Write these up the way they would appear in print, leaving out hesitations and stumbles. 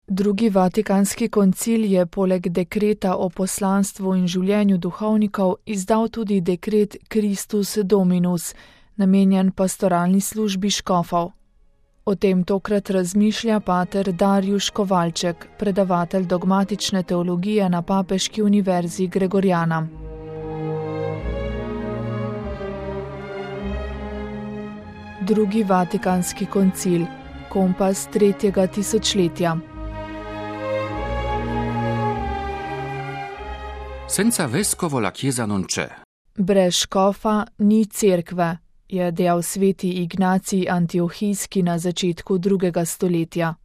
Drugi Vatikanski koncil je poleg dekreta o poslanstvu in življenju duhovnikov izdal tudi dekret Christus Dominus, namenjen pastoralni službi škofov. O tem tokrat razmišlja pater Darjuš Kovalček, predavatelj dogmatične teologije na Papeški univerzi Gregoriana. Drugi Vatikanski koncil, kompas tretjega tisočletja. Senza vescovo la chiesa non c'è. Brez škofa ni cerkve, je dejal sveti Ignacij Antiohijski na začetku 2. stoletja.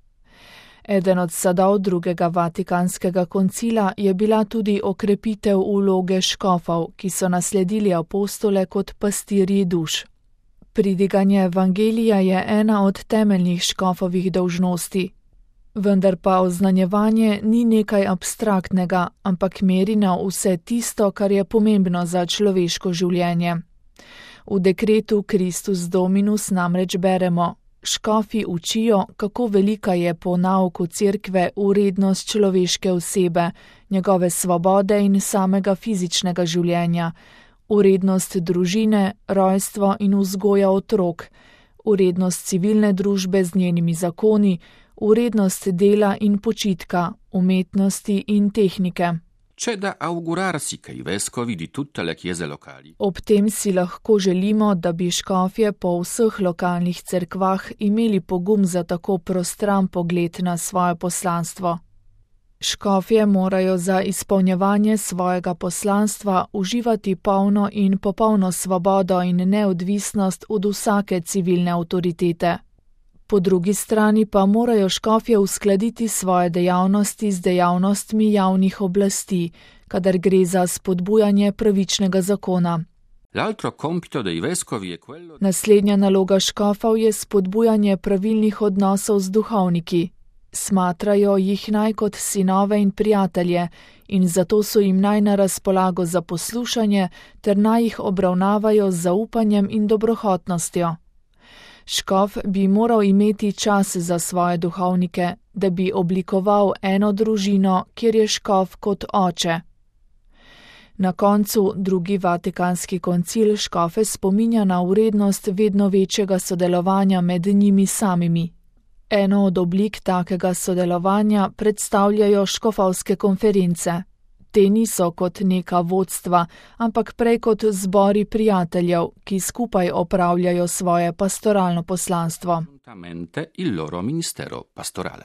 Eden od sadov drugega Vatikanskega koncila je bila tudi okrepitev vloge škofov, ki so nasledili apostole kot pastirji duš. Pridiganje evangelija je ena od temeljnih škofovih dolžnosti. Vendar pa oznanjevanje ni nekaj abstraktnega, ampak meri na vse tisto, kar je pomembno za človeško življenje. V dekretu Christus Dominus namreč beremo: škofi učijo, kako velika je po nauku cerkve vrednost človeške osebe, njegove svobode in samega fizičnega življenja, vrednost družine, rojstvo in vzgoja otrok, vrednost civilne družbe z njenimi zakoni, vrednost dela in počitka, umetnosti in tehnike. C'è da augurarsi che i vescovi di tutte le chiese locali. Ob tem si lahko želimo, da bi škofje po vseh lokalnih cerkvah imeli pogum za tako prostran pogled na svoje poslanstvo. Škofje morajo za izpolnjevanje svojega poslanstva uživati polno in popolno svobodo in neodvisnost od vsake civilne avtoritete. Po drugi strani pa morajo škofje uskladiti svoje dejavnosti z dejavnostmi javnih oblasti, kadar gre za spodbujanje pravičnega zakona. L'altro compito dei vescovi è quello. Naslednja naloga škofov je spodbujanje pravilnih odnosov z duhovniki. Smatrajo jih naj kot sinove in prijatelje in zato so jim naj na razpolago za poslušanje ter naj jih obravnavajo z zaupanjem in dobrohotnostjo. Škof bi moral imeti čas za svoje duhovnike, da bi oblikoval eno družino, kjer je škof kot oče. Na koncu drugi Vatikanski koncil škofe spominja na vrednost vedno večjega sodelovanja med njimi samimi. Eno od oblik takega sodelovanja predstavljajo škofovske konference. Te niso kot neka vodstva, ampak prej kot zbori prijateljev, ki skupaj opravljajo svoje pastoralno poslanstvo. Il loro ministero pastorale.